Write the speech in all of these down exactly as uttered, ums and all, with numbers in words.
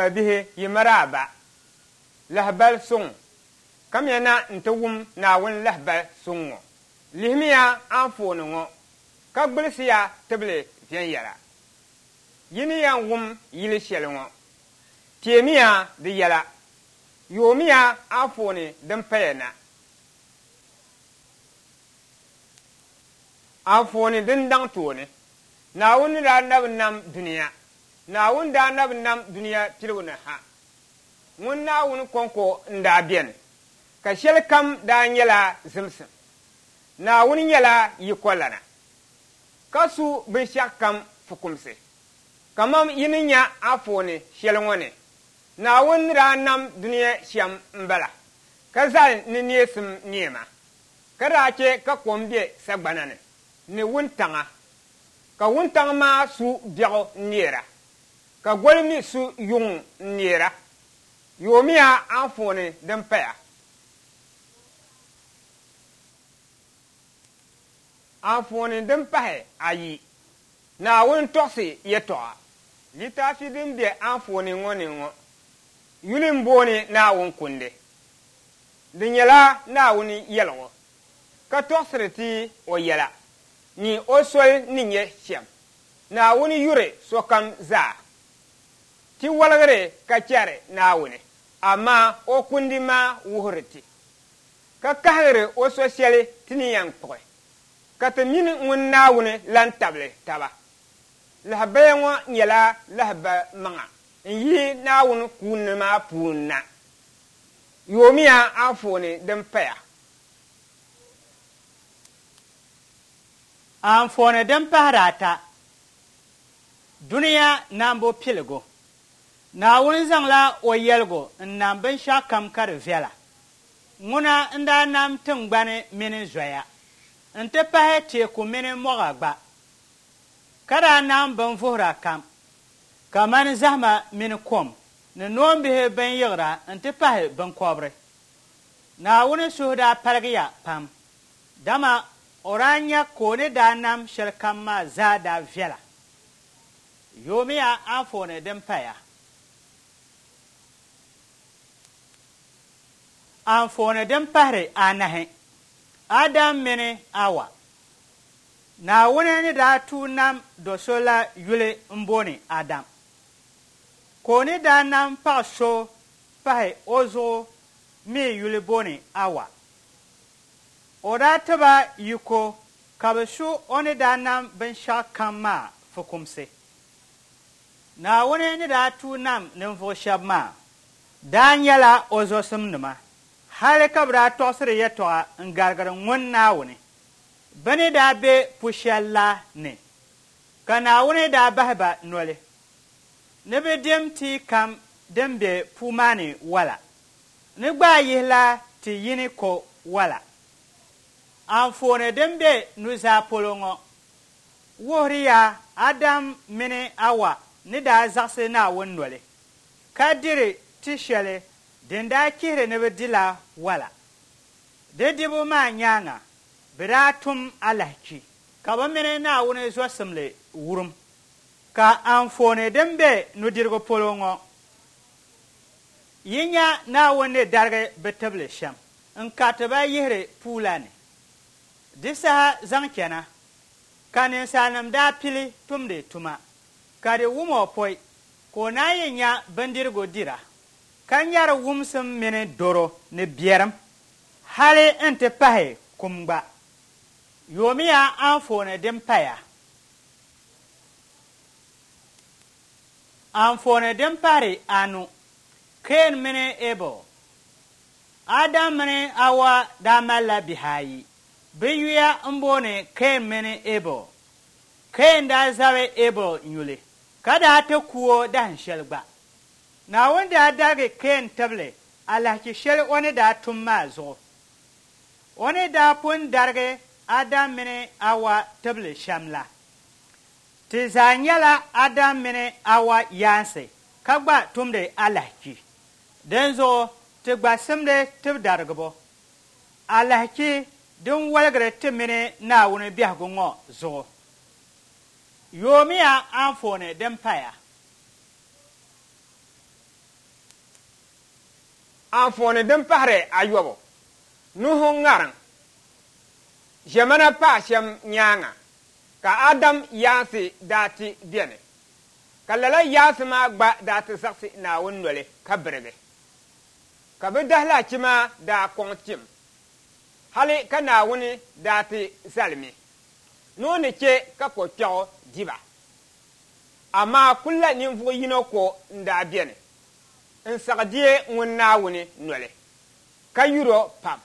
Bihi yi maraaba lahibali suŋ kamiya na nti wum Naawuni lahibali suŋ ŋɔ. Lihimiya anfooni ŋɔ ka gbilisiya tibili viɛnyɛla. Yi ni yɛn wum yili shɛli ŋɔ, teemiya di yɛla. Yoomiya anfooni din paya na. Anfooni din daŋ tooni. Naawuni daa na bi nam dunia. Naawuni daa na bi nam dunia piligu ni ha. Ŋun Naawuni kɔŋko n-daa beni, ka shɛli kam daa nyɛla zimsim. Naawuni nyɛla yikolana, ka su binshɛɣu kam fukumsi. Kamam yi ni nya anfooni shɛli ŋɔ ni, Naawuni daa nam dunia shɛm m-bala, ka zali ni neesim neema, ka daa chɛ ka kom be sagbana ni, ni wuntaŋa, ka wuntaŋ maa su biɛɣu n-neera, ka goli mi su yuŋ n-neera. Yoomiya anfooni din paya. Anfooni din pahi ayi. Naawuni tɔɣisi yɛtɔɣa. Litaafi din be anfooni ŋɔ ni ŋɔ yuli m-booni Naawuni kundi. Di nyɛla Naawuni yɛligu ka tɔɣisiri ti o yɛla ni o soli ni nyɛ shɛm. Naawuni yuri sokam zaa. Ti waligiri ka chɛri Naawuni, amaa o kundi maa wuhiri ti, ka kahigiri o so shɛli ti ni yɛn kpuɣi, ka ti mini ŋun Naawuni lan tabili taba. Lahabaya ŋɔ nyɛla lahaba maŋa n-yi Naawuni kuuni maa puuni na. Yoomiya anfooni din paya. Anfooni din pahiri ata. Dunia nambu piligu. Naawuni zaŋla o yɛligu n-nam binshɛɣu kam ka di viɛla. Ŋuna n-daa nam tiŋgbani mini zoya, nti pahi teeku mini mɔɣa gba, ka daa nam binvuhira kam, kamani zahima mini kom ni noombihi bin yiɣira nti pahi binkɔbiri. Naawuni suhu daa paligiya pam, dama o daa nya ka o ni daa nam shɛli kam maa zaa daa viɛla. Yoomiya anfooni din paya. Anfooni din pahiri anahi. Adam mini Awa. Naawuni ni daa tuui nam do so la yuli m-booni Adam. Ka o ni daa nam paɣa so pahi o zuɣu mi yuli booni Awa. O daa ti ba yiko ka bɛ su o ni daa nam binshɛɣu kam maa fukumsi. Naawuni ni daa tuui nam ninvuɣ shɛba maa daa nyɛla o zɔsimnima, hali ka bɛ daa tɔɣisiri yɛtɔɣa n-garigiri ŋun Naawuni. Bɛ ni daa be pu shɛli la ni, ka Naawuni daa bahi ba noli ni bɛ dim tia kam din be puu maa ni wala, ni gbaai yihila ti yini ko wala. Anfooni din be nuzaa polo ŋɔ wuhiriya Adam mini Awa ni daa zaɣisi Naawuni noli ka diri ti sheli din daa chihiri ni bɛ di la wala. Di dibu maa nyaaŋa, bɛ daa tum alahichi ka bɛ mini Naawuni zɔsimli wurim. Ka anfooni din be nudirigu polo ŋɔ, yi nya Naawuni ni darigi bɛ tibili shem n-kariti ba yihiri puu la ni. Di saha zaŋ chana, ka ninsalinim daa pili tumdi tuma, ka di wum o pɔi ka o naan yi nya bindirigu dira, ka nyari wumsim mini dɔro ni bierim, hali nti pahi kum gba. Yoomiya anfooni din paya. Anfooni din pahiri anu, Keen mini Ebel. Adam mini Awa daa malila bihi ayi. Bɛ yuya m-booni Keen mini Ebel. Keen daa zabi Ebel nyuli, ka daa ti ku o dahin shɛli gba. Naawuni daa darigi Keen tibili alahichi shɛli o ni daa tum maa zuɣu. O ni daa pun darigi Adam mini Awa tibili shɛm la. Ti zaa nyɛla Adam mini Awa yaansi ka gba tumdi alahichi. Dinzuɣu ti gba simdi tibidarigibo. Alahichi din waligiri ti mini Naawuni biɛhigu ŋɔ zuɣu. Yoomiya anfooni din paya. Anfooni din pahiri ayɔbu, Nuhu ŋariŋ. Ʒiɛmana paai shɛm nyaaŋa ka Adam yaansi daa ti beni, ka lala yaansi maa gba daa ti zaɣisi Naawuni noli ka birigi, ka bɛ dahilahichi maa daa kɔŋ tim, hali ka Naawuni daa ti zalimi ni o ni che ka kokpɛɣu di ba. Amaa kulla ninvuɣ yino ko n-daa beni n-saɣi deei ŋun Naawuni noli ka yur o pam.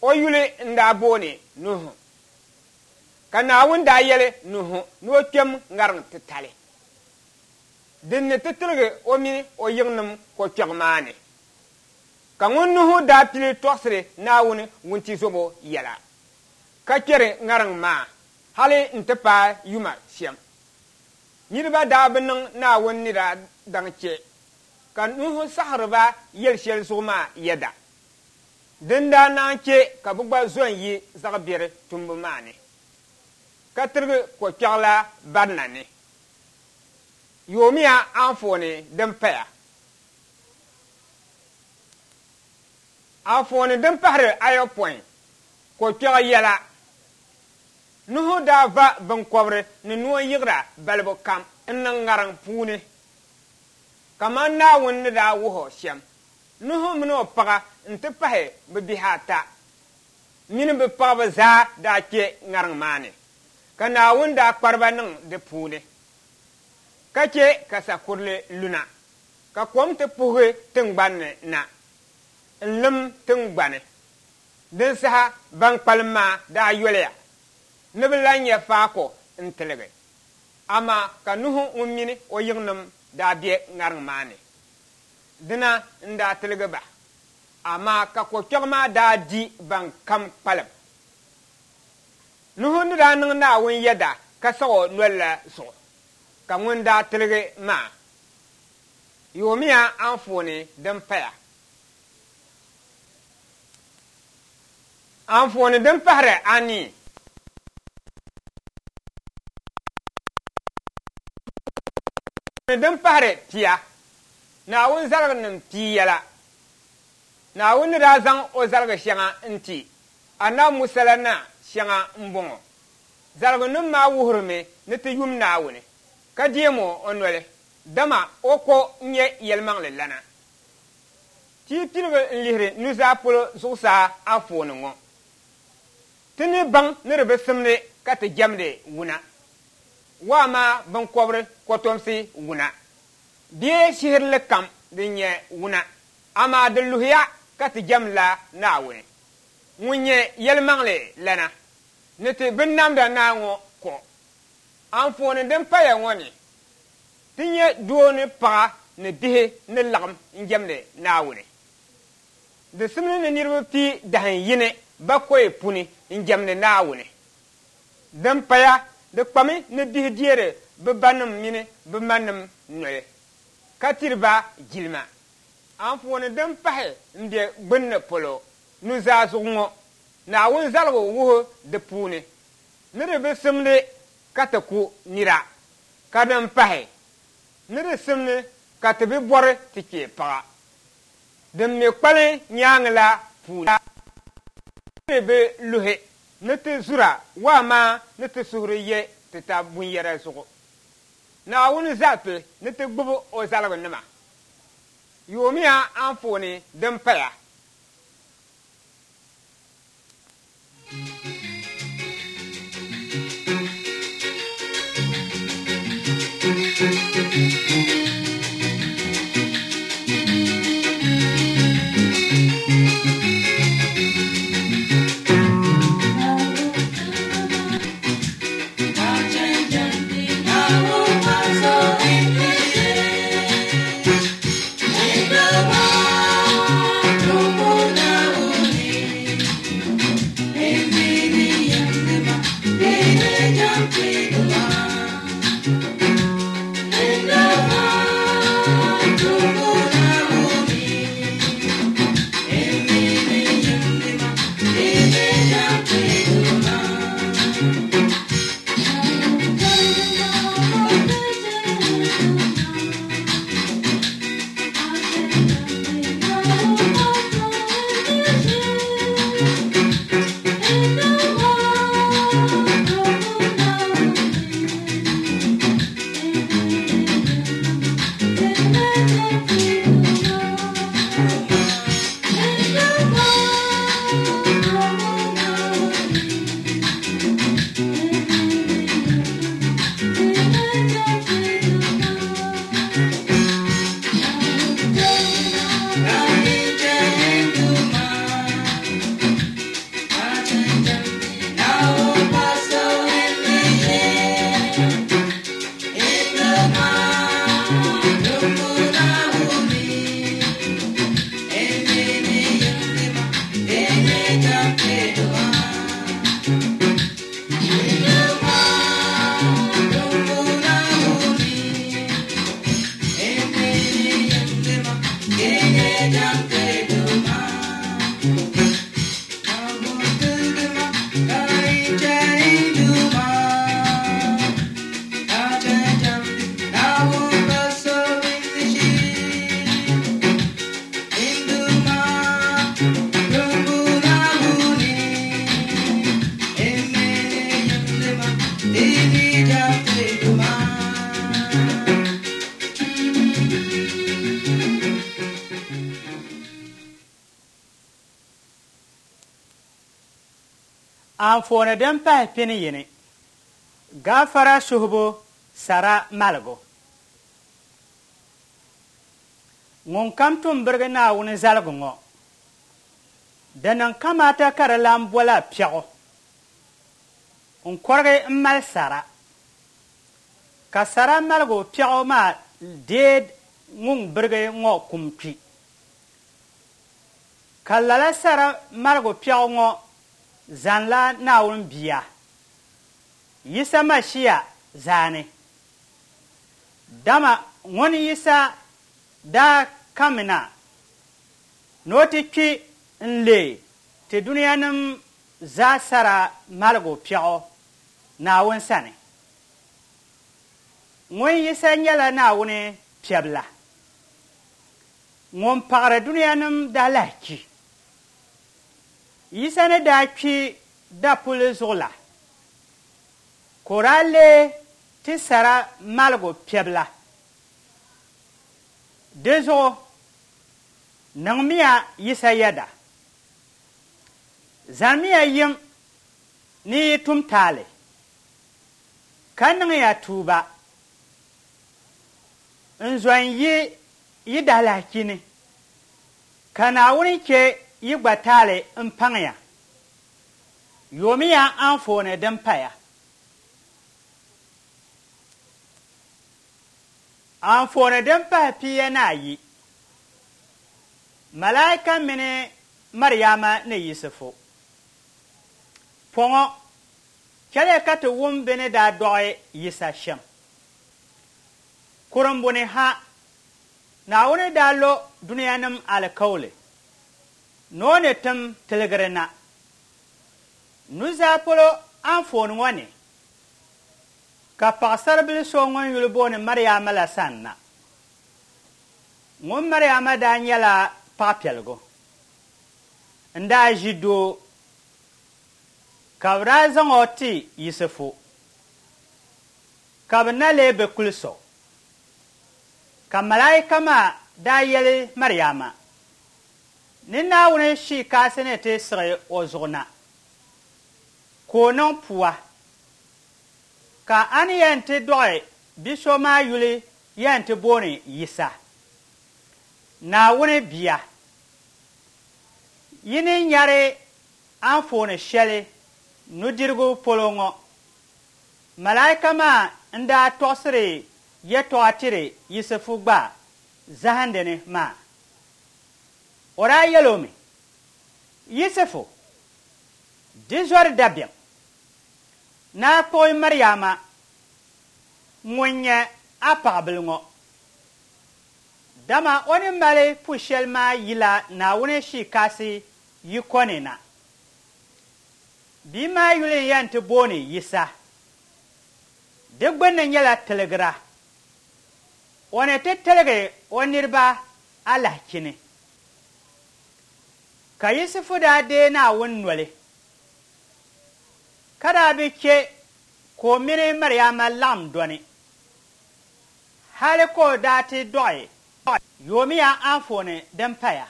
O yuli n-daa booni Nuhu. Ka Naawuni daa yɛli Nuhu ni o kpɛm ŋariŋ titali din ni ti tiligi o mini o yiŋnim kokpɛɣu maa ni. Ka ŋun Nuhu daa pili tɔɣisiri Naawuni wuntizɔbo yɛla, ka kpɛri ŋariŋ maa hali nti paai yuma shɛm. Niriba daa bi niŋ Naawuni ni daa daŋ che ka Nuhu saɣiriba yɛl shɛli zuɣu maa yɛda, din daa naan che ka bɛ gba zo n-yi zaɣ biɛri tumbu maa ni, ka tirigi kokpɛɣu la barina ni. Yoomiya anfooni din paya. Anfooni din pahiri ayopɔin, kokpɛɣu yɛla. Nuhu daa va binkɔbiri ni noon yiɣira balibu kam n-niŋ ŋariŋ puuni, kaman Naawuni ni daa wuhi o shɛm. Nuhu mini o paɣa nti pahi bɛ bihi ata mini bɛ paɣiba zaa daa kpe ŋariŋ maa ni, ka Naawuni daa kpari ba niŋ di puuni, ka che ka sakurili luna, ka kom ti puhi tiŋgbani ni na n-lim tiŋgbani. Din saha ban kpalim maa daa yoliya ni bɛ lan nya faako n-tiligi. Amaa ka Nuhu ŋun mini o yiŋnim daa be ŋariŋ maa ni, dina n-daa tiligi ba. Amaa ka kokpɛɣu maa daa di ban kam kpalim. Nuhu ni daa niŋ Naawuni yɛda ka saɣ o noli la zuɣu, ka ŋun daa tiligi maa. Yoomiya anfooni din paya. Anfooni din pahiri anii. Din pahiri pia, Naawuni zaliginim pia yɛla. Naawuni ni daa zaŋ o zaligi shɛŋa n-ti Anabi Musa la na shɛŋa m-bɔŋɔ. Zaligunim maa wuhirimi ni ti yum Naawuni ka deem o noli, dama o ko n-nyɛ yɛlimaŋli lana. Ti piligi n-lihiri nuzaa polo zuɣusaa anfooni ŋɔ. Ti ni baŋ ni di bi simdi ka ti jɛmdi wuna. Waa maa binkɔbiri kɔtomsi wuna, bee shihirili kam din nyɛ wuna, amaa di luhiya ka ti jɛmla Naawuni ŋun nyɛ yɛlimaŋli lana ni ti binnamda naa ŋɔ ko. Anfooni din paya ŋɔ ni, ti nyɛ doo ni paɣa ni bihi ni laɣim n-jɛmdi Naawuni. Di simdi ni niriba pii dahin yini bakɔi puni n-jɛmdi Naawuni. Din paya, Di kpami ni bihi deeri bɛ banim mini bɛ manim noli, ka tiri ba jilima. Anfooni din pahi m-be gbunni polo nuzaa zuɣu ŋɔ, Naawuni zaligu wuhi di puuni ni di bi simdi ka ti ku nira, ka din pahi, ni di simdi ka ti bi bɔri ti kpee paɣa. Din mi kpalim nyaaŋa la puuni, di bi luhi ni ti zura amaa ni ti suhuri ye ti tab bunyɛra zuɣu. Naawuni zali ti ni ti gbubi o zaligunima. Yoomiya anfooni din paya. Anfooni din pahi pini yini, gaafara suhibu sara maligu. Ŋun kam tum birigi Naawuni zaligu ŋɔ, di niŋ kamaata ka di lan bola piɛɣu n-kɔrigi m-mali sara, ka sara maligu piɛɣu maa deei ŋun birigi ŋɔ kum kpi. Ka lala sara maligu piɛɣu ŋɔ zanla Naawuni bia, Yisa Mashia zaani. Dama ŋun Yisa daa kamina ni o ti kpi n-leei ti dunianim zaa sara maligu piɛɣu Naawuni sani. Ŋun Yisa nyɛla Naawuni piɛbila, ŋun paɣiri dunianim daalahichi. Yisa ni daa kpi dapulli zuɣu la, ka o daa leei ti sara maligu piɛbila. Di zuɣu niŋmiya Yisa yɛda. Zanimiya yim ni yi tum taali, ka niŋya tuuba n-zo n-yi yi daalahichi ni, ka Naawuni che yi gba taali m-paŋya. Yoomiya anfooni din paya. Anfooni din pahi pia ni ayi, Malaika mini Mariama ni Yisifu. Pɔŋɔ, Chɛliya ka ti wum bɛ ni daa dɔɣi Yisa shɛm. Kurimbuni ha, Naawuni daa lo dunianim alikauli ni o ni tim tiligiri na. Nuzaa polo anfooni ŋɔ ni, ka paɣisaribila so ŋun yuli booni Mariama la sanna. Ŋun Mariama daa nyɛla paɣapiɛligu n-daa ʒi doo, ka bɛ daa zaŋ o ti Yisifu, ka bɛ na lee bi kulis o. Ka malaika maa daa yɛli Mariama ni Naawuni Shii Kasi ni ti siɣi o zuɣu na, ka o niŋ pua, ka a ni yɛn ti dɔɣi bi so maa yuli yɛn ti booni Yisa, Naawuni bia. Yi ni nyari anfooni shɛli nudirigu polo ŋɔ, malaika maa n-daa tɔɣisiri yɛtɔɣa tiri Yisifu gba zahindi ni maa. O daa yɛl o mi, Yisifu, di zɔri dabiɛm. Naa kpuɣi Mariama ŋun nyɛ a paɣibil ŋɔ, dama o ni mali pu shɛli maa yila Naawuni Shii Kasi yiko ni na. Bia maa yuli n-yɛn ti booni Yisa. Di gbunni nyɛla tiligira. O ni ti tiligi o niriba alahichi ni. Ka Yisifu daa deei Naawuni noli, ka daa bi che ka o mini Mariama laɣim dɔni, hali ka o daa ti dɔɣi yoomiya anfooni din paya.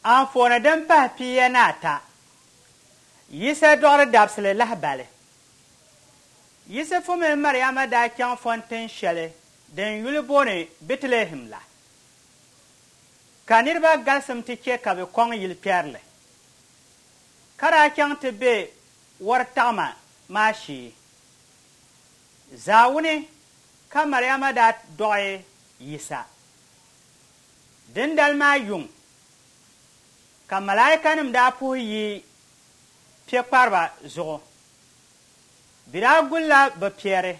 Anfooni din pahi pia ni ata, Yisa dɔɣiri dabisili lahibali. Yisifu mini Mariama daa chaŋ fɔntin shɛli din yuli booni Bɛtilihɛm la, ka niriba galisim ti che ka bɛ kɔŋ yilikpɛrili, ka daa chaŋ ti be wɔritaɣima maa shee. Zaawuni ka Mariama daa dɔɣi Yisa. Dindali maa yuŋ ka malaikanim daa puhi yi piɛkpariba zuɣu. Bɛ daa gulila bɛ piɛri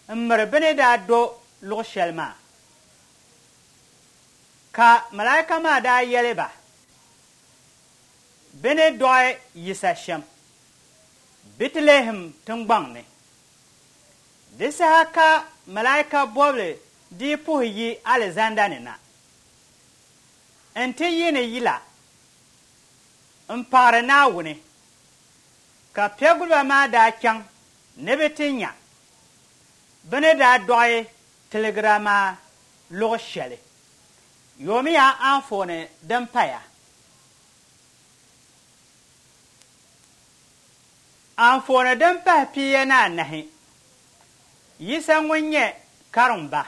m-miri bɛ ni daa do luɣ shɛli maa. Ka malaika maa daa yɛli ba bɛ ni dɔɣi Yisa shɛm Bɛtilihɛm tiŋgbɔŋ ni. Di saha ka malaika bɔbili dii puhi yi alizanda ni na nti yi ni yila m-paɣiri Naawuni, ka piɛguliba maa daa chaŋ ni bɛ ti nya bɛ ni daa dɔɣi tiligira maa luɣ shɛli. Yoomiya anfooni din paya. Anfooni din pahi pia ni anahi, Yisa ŋun nyɛ karimba.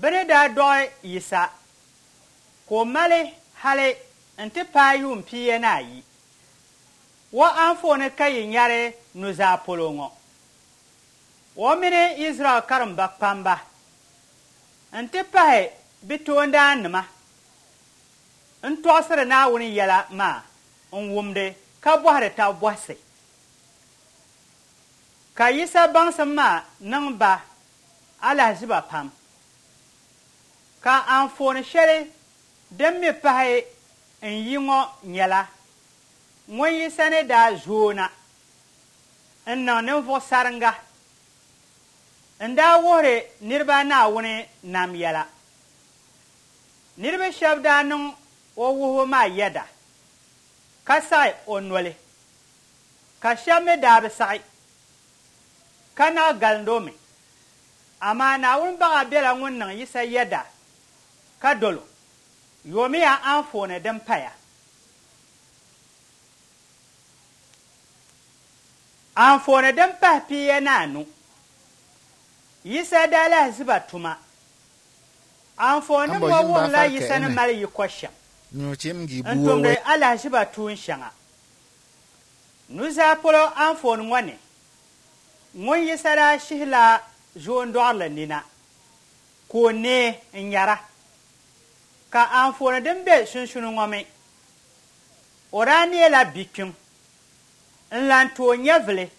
Bɛ ni daa dɔɣi Yisa ka o mali hali nti paai yuun pia ni ayi. O anfooni ka yi nyari nuzaa polo ŋɔ. O mini Izraɛl karimba kpamba nti pahi bɛ toondaannima n-tɔɣisiri Naawuni yɛla maa n-wumdi ka bɔhiri tab bɔhisi. Ka Yisa baŋsim maa niŋ ba alahiziba pam. Ka anfooni shɛli din mi pahi n-yi ŋɔ nyɛla ŋun Yisa ni daa zooi na n-niŋ ninvuɣ saringa n-daa wuhiri niriba Naawuni nam yɛla. Niriba shɛba daa niŋ o wuhibu maa yɛda ka saɣi o noli, ka shɛba mi daa bi saɣi ka naɣ galindi o mi. Amaa Naawuni baɣa bela ŋun niŋ Yisa yɛda ka dol o. Yoomiya anfooni din paya. Anfooni din pahi pia ni anu, Yisa daa lahiziba tuma. Anfooni Ambo ŋɔ yim ba wuhirila farka Yisa ni ene. mali yiko shɛm Nyo chem gi n buo tumdi we. alahiziba tuun shɛŋa. Nuzaa polo anfooni ŋɔ ni, ŋun Yisa daa shihila zoondɔɣirili nina ka o neei n-nyara. Ka anfooni din be sunsuuni ŋɔ mi, O daa neela bikpiŋ n-lan ti o nyɛvili,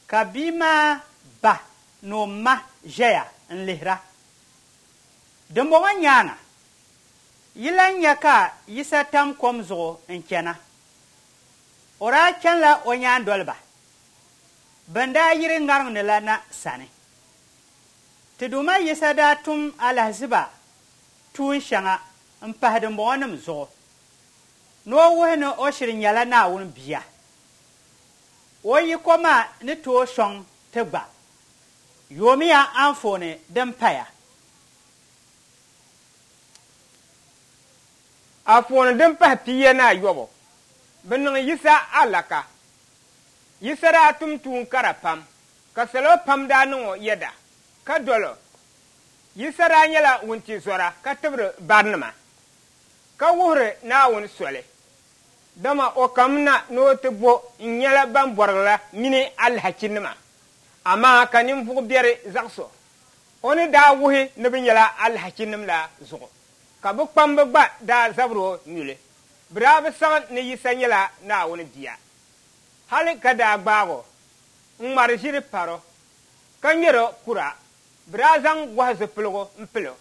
ka bia maa ba ni o ma ʒɛya n-lihira. Dimbɔŋɔ nyaaŋa, yi lan nya ka Yisa tam kom zuɣu n-chana. O daa chanila o nyaandoliba bɛn daa yiri ŋariŋ ni la na sani. Ti Duuma Yisa daa tum alahiziba tuun shɛŋa m-pahi dimbɔŋɔnim zuɣu ni o wuhi ni o shiri nyɛla Naawuni Bia. O yiko maa ni tooi sɔŋ ti gba. Yoomiya anfooni din paya. Anfooni din pahi pia ni ayɔbu, bɛ niŋ Yisa alaka. Yisa daa tum tuun kara pam, ka salo pam daa niŋ o yɛda ka dol o. Yisa daa nyɛla wuntizɔra ka tibiri barinima, ka wuhiri Naawuni soli. Dama o kamina ni o ti bo n-nyɛla ban bɔrigi la mini alahachinima, amaa ka ninvuɣ biɛri zaɣis o. O ni daa wuhi ni bɛ nyɛla alahachinim la zuɣu, ka bɛ kpamba gba daa zabiri o nyuli. Bɛ daa bi saɣi ni Yisa nyɛla Naawuni Bia. Hali ka daa gbaag o n-ŋmari ʒiri par o, ka ŋmɛr o kura. Bɛ daa zaŋ gɔhi zipiligu m-pil o,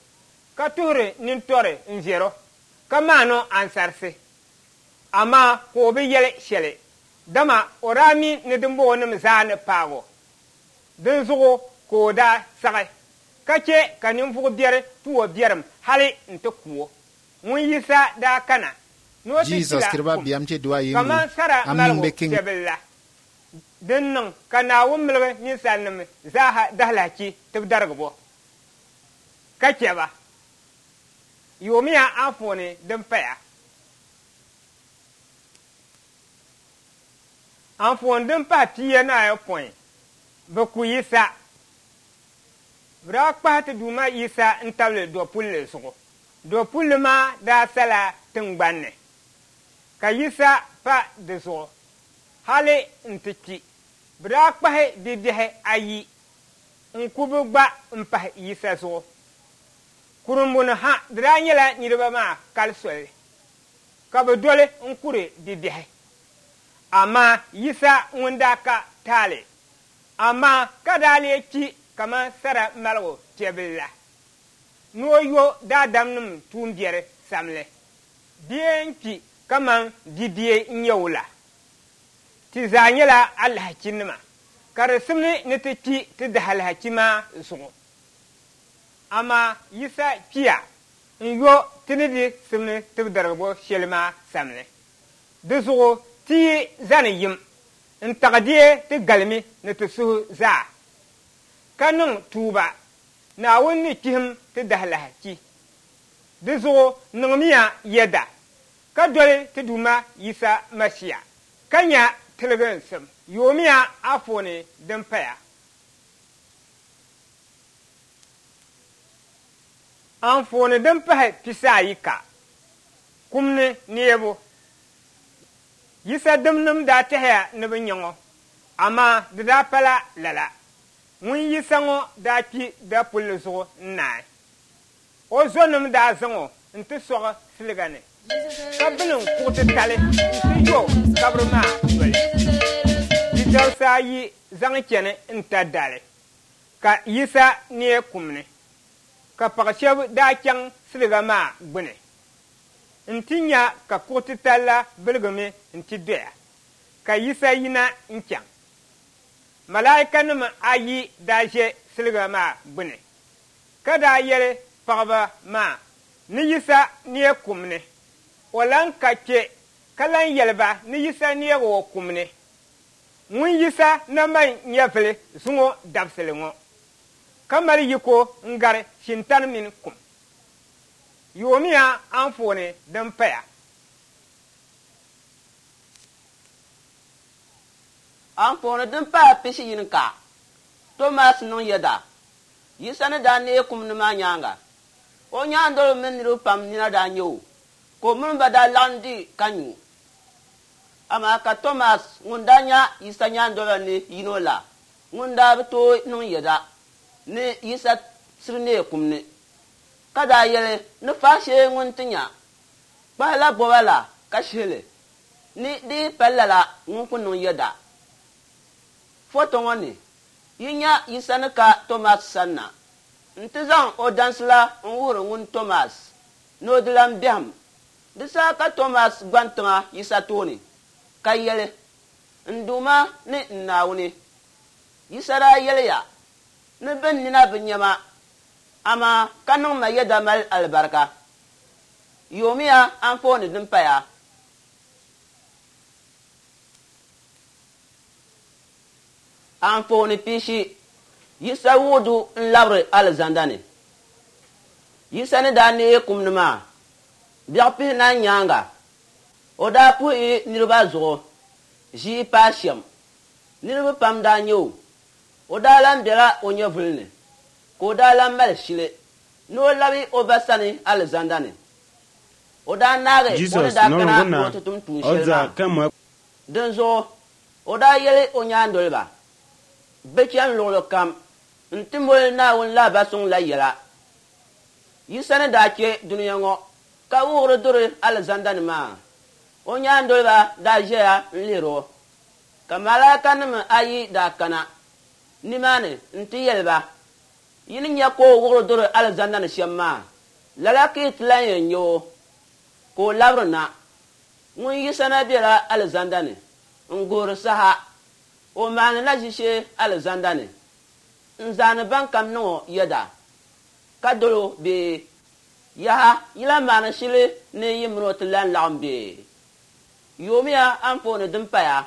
ka tuhiri nintɔri n-viɛr o, ka maan o ansarisi. Amaa ka o bi yɛli shɛli, dama o daa mi ni dimbɔŋɔnim zaa ni paag o. Dinzuɣu ka o daa saɣi ka chɛ ka ninvuɣ biɛri tu o biɛrim hali nti ku o. Ŋun Yisa daa kana ni o ti Jesus kpila kirba kum biam che dua yingu kaman sara am maligu ning be king piɛbil la, din niŋ ka Naawuni miligi ninsalinim zaaha dahilahichi tibidarigibo ka chɛ ba. Yoomiya anfooni din paya. Anfooni din pahi pia ni ayopɔin, bɛ ku Yisa. Bɛ daa kpahi ti Duuma Yisa n-tabili dɔpulli zuɣu. Dɔpulli maa daa sala tiŋgbani ni, ka Yisa pa di zuɣu hali nti kpi. Bɛ daa kpahi bibiɛhi ayi n-ku bɛ gba m-pahi Yisa zuɣu. Kurumbuni ha di daa nyɛla niriba maa kali soli, ka bɛ doli n-kuri bibiɛhi. Amaa Yisa ŋun daa ka taali, amaa ka daa lee kpi kaman sara maligu piɛbil la, ni o yo daadamnim tuumbiɛri samli. Bia n-kpi kaman bibia n-nyɛ o la. Ti zaa nyɛla alahachinima, ka di simdi ni ti kpi ti dahalahachi maa zuɣu. Amaa Yisa kpiya n-yo ti ni di simdi tibidarigibo shɛli maa samli. Di zuɣu ti yi zani yim n-taɣi deei ti galimi ni ti suhu zaa, ka niŋ tuuba, Naawuni ni kpihim ti dahalahachi. Di zuɣu niŋmiya yɛda, ka doli ti Duuma Yisa Masia, ka nya tiliginsim. Yoomiya anfooni din paya. Anfooni din pahi pisi ayi ka, kum ni neebu. Yisa dimnim daa tɛhiya ni bɛ nya ŋɔ, amaa di daa pala lala. Ŋun Yisa ŋɔ daa kpi dapulli zuɣu n-naai. O zɔnim daa zaŋ o nti sɔɣi siliga ni, ka bilim kuɣ titali nti yo kabiri maa noli. Di dabisa ayi zaŋ chani n-ta dali, ka Yisa neei kum ni, ka paɣ shɛba daa chaŋ siliga maa gbuni nti nya ka kuɣ titali la biligimi nti doya, ka Yisa yina n-chaŋ. Malaikanima ayi daa ʒe siliga maa gbuni, ka daa yɛli paɣiba maa ni Yisa neei kum ni. O lan ka kpe, ka lan yɛli ba ni Yisa neegi o kum ni. Ŋun Yisa na mali nyɛvili zuŋɔ dabisili ŋɔ, ka mali yiko n-gari shintani mini kum. Yoomiya anfooni din paya. Anfooni din pahi pishi yini ka, Tomas niŋ yɛda. Yisa ni daa neei kum ni maa nyaaŋa, o nyaandoliba mini niriba pam nina daa nya o, ka o mini ba daa laɣim di ka nyu. Amaa ka Tomas ŋun daa nya Yisa nyaandoliba ni yino la, ŋun daa bi tooi niŋ yɛda ni Yisa siri neei kum ni, ka daa yɛli ni faashee ŋun ti nya kpahila bɔba la ka shihi li. Ni di yi pa lala ŋun ku niŋ yɛda. Foto ŋɔ ni, yi nya Yisa ni ka Tomas sanna nti zaŋ o dansi la n-wuhiri ŋun Tomas ni o di lan biɛhim. Di saha ka Tomas gban tiŋa Yisa tooni ka yeli, N Duuma ni n Naawuni! Yisa daa yeliya, Ni ben nina bi nya ma, amaa ka niŋ ma yeda mali alibarika. Yoomiya anfooni din paya. Anfooni pishi, Yisa wuɣi du n-labiri alizanda ni. Yisa ni daa neei kum ni maa biɛɣ pihinahi nyaaŋa, o daa puhi niriba zuɣu ʒii paai shɛm. Niriba pam daa nya o. O daa lan bela o nyɛvuli ni, ka o daa lan mali shili ni o labi o Ba sani alizanda ni. O daa naagi o ni Jesus daa nọrọ kana ngụ ni na o ti tum tuun shɛli ọza maa. kemgbe Dinzuɣu o daa yeli o nyaandoliba, Bɛ chani luɣili kam nti moli Naawuni lahibal suŋ la yɛla. Yisa ni daa che dunia ŋɔ ka wuɣiri duri alizanda ni maa, o nyaandoliba daa ʒeya n-lihir o, ka malaikanima ayi daa kana nimaani nti yɛli ba, Yi ni nya ka o wuɣiri duri alizanda ni shɛm maa, lala ka yi ti lan yɛn nya o ka o labiri na. Ŋun Yisa na bela alizanda ni n-guhiri saha. O maanila ʒishee alizanda ni n-zaani bankam niŋ o yɛda ka dol o bee? Yaha, yi lan maani shili ni yi min o ti lan laɣim bee? Yoomiya anfooni din paya.